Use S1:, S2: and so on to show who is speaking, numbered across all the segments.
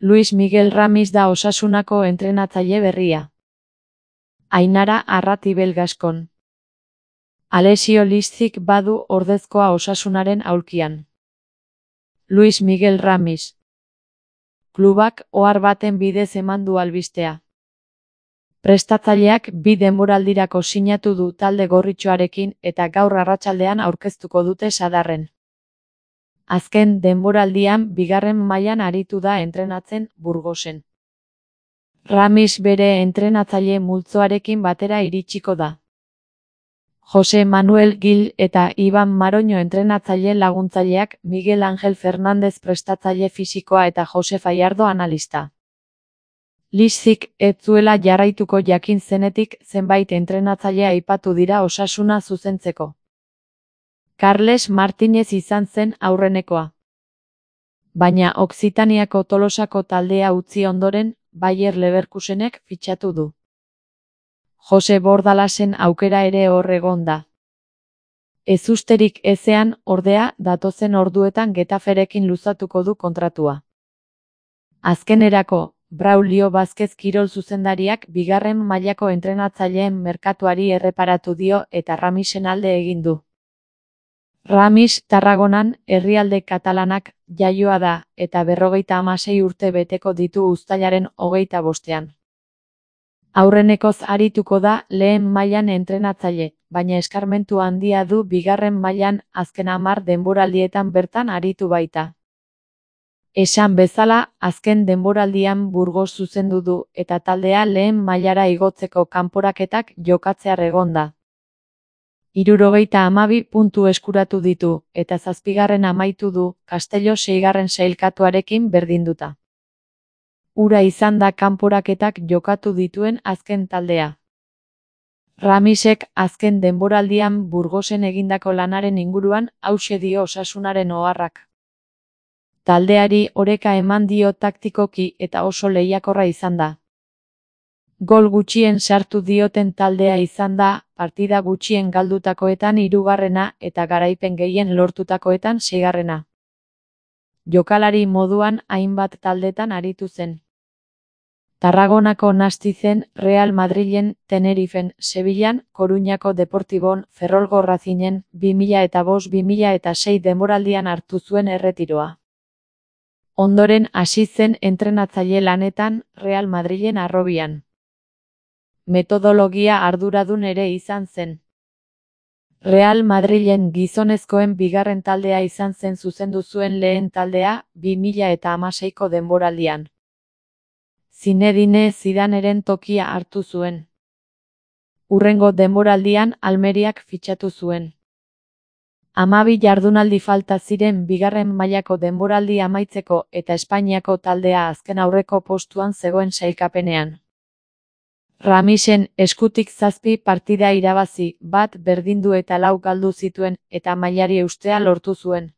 S1: Luis Miguel Ramis da Osasunako entrenatzaile berria. Ainara Arratibel Gaskon. Alessio Listzik badu ordezkoa Osasunaren aulkian. Luis Miguel Ramis. Klubak ohar baten bidez eman du albistea. Prestatzaileak 2 denboraldirako sinatu du talde gorritxoarekin eta gaur arratsaldean aurkeztuko dute sadarren. Azken denboraldian 2. mailan aritu da entrenatzen Burgosen. Ramis bere entrenatzaile multzoarekin batera iritsiko da. Jose Manuel Gil eta Iban Maroño entrenatzaile laguntzaileak, Miguel Ángel Fernández prestatzaile fisikoa eta Jose Fallardo analista. Listzik ez zuela jarraituko jakin zenetik zenbait entrenatzaile aipatu dira Osasuna zuzentzeko. Carles Martínez izan zen aurrenekoa. Baina Okzitaniako Tolosako taldea utzi ondoren, Bayer Leverkusenek fitxatu du. Jose Bordalasen aukera ere hor egon da. Ezusterik ezean, ordea, datozen orduetan Getaferekin luzatuko du kontratua. Azkenerako, Braulio Vázquez kirol zuzendariak 2. mailako entrenatzaileen merkatuari erreparatu dio eta Ramisen alde egin du. Ramis Tarragonan, herrialde katalanak, jaioa da, eta 56 urte beteko ditu uztailaren 25ean. Aurrenekoz arituko da lehen mailan entrenatzaile, baina eskarmentu handia du 2. mailan azken 10 denboraldietan bertan aritu baita. Esan bezala, azken denboraldian Burgos zuzendu du eta taldea lehen mailara igotzeko kanporaketak jokatzear egon da. 72 puntu eskuratu ditu, eta 7. amaitu du, Castello 6. sailkatuarekin berdinduta. Hura izan da kanporaketak jokatu dituen azken taldea. Ramisek azken denboraldian Burgosen egindako lanaren inguruan hauxe dio Osasunaren oharrak. Taldeari oreka eman dio taktikoki eta oso lehiakorra izan da. Gol gutxien sartu dioten taldea izan da, partida gutxien galdutakoetan 3. eta garaipen gehien lortutakoetan 6. Jokalari moduan hainbat taldetan aritu zen. Tarragonako Nastizen, Real Madrilen, Tenerifen, Sevillan, Koruñako Deportibon, Ferrolgo Racingen, 2005-2006 denboraldian hartu zuen erretiroa. Ondoren hasi zen entrenatzaile lanetan, Real Madrilen harrobian. Metodologia arduradun ere izan zen. Real Madrilen gizonezkoen 2. taldea izan zen zuzendu zuen lehen taldea, 2016ko denboraldian. Zinedine Zidaneren tokia hartu zuen. Hurrengo denboraldian Almeriak fitxatu zuen. 12 jardunaldi falta ziren 2. mailako denboraldi amaitzeko eta Espainiako taldea azken aurreko postuan zegoen sailkapenean. Ramisen eskutik 7 partida irabazi, 1 berdindu eta 4 galdu zituen eta mailari eustea lortu zuen.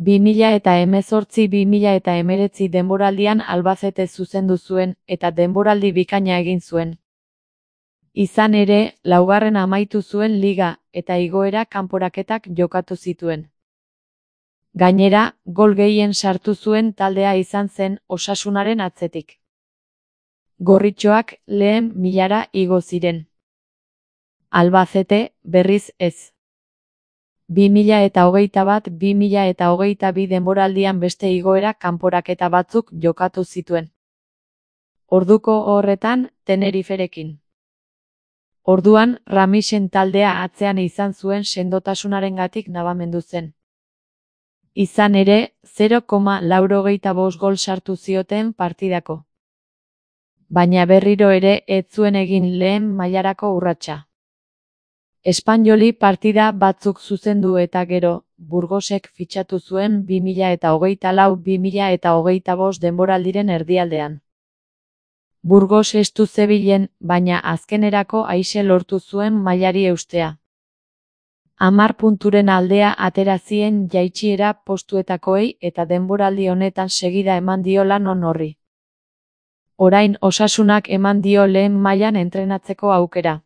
S1: 2018-2019 denboraldian Albacete zuzendu zuen eta denboraldi bikaina egin zuen. Izan ere, 4. amaitu zuen liga eta igoera kanporaketak jokatu zituen. Gainera, gol gehien sartu zuen taldea izan zen Osasunaren atzetik. Gorritxoak lehen milara igo ziren. Albacete, berriz ez. 2021-2022 denboraldian beste igoera kanporaketa batzuk jokatu zituen. Orduko horretan, Teneriferekin. Orduan, Ramisen taldea atzean izan zuen sendotasunarengatik nabamendu zen. Izan ere, 0,85 gol sartu zioten partidako. Baina berriro ere ez zuen egin lehen mailarako urratsa. Espainoli partida batzuk zuzendu eta gero, Burgosek fitxatu zuen 2024-2025 denboraldiren erdialdean. Burgos estu zebilen, baina azkenerako aise lortu zuen mailari eustea. 10 punturen aldea atera zien jaitsiera postuetakoei eta denboraldi honetan segida eman dio lan on horri. Orain Osasunak eman dio lehen mailan entrenatzeko aukera.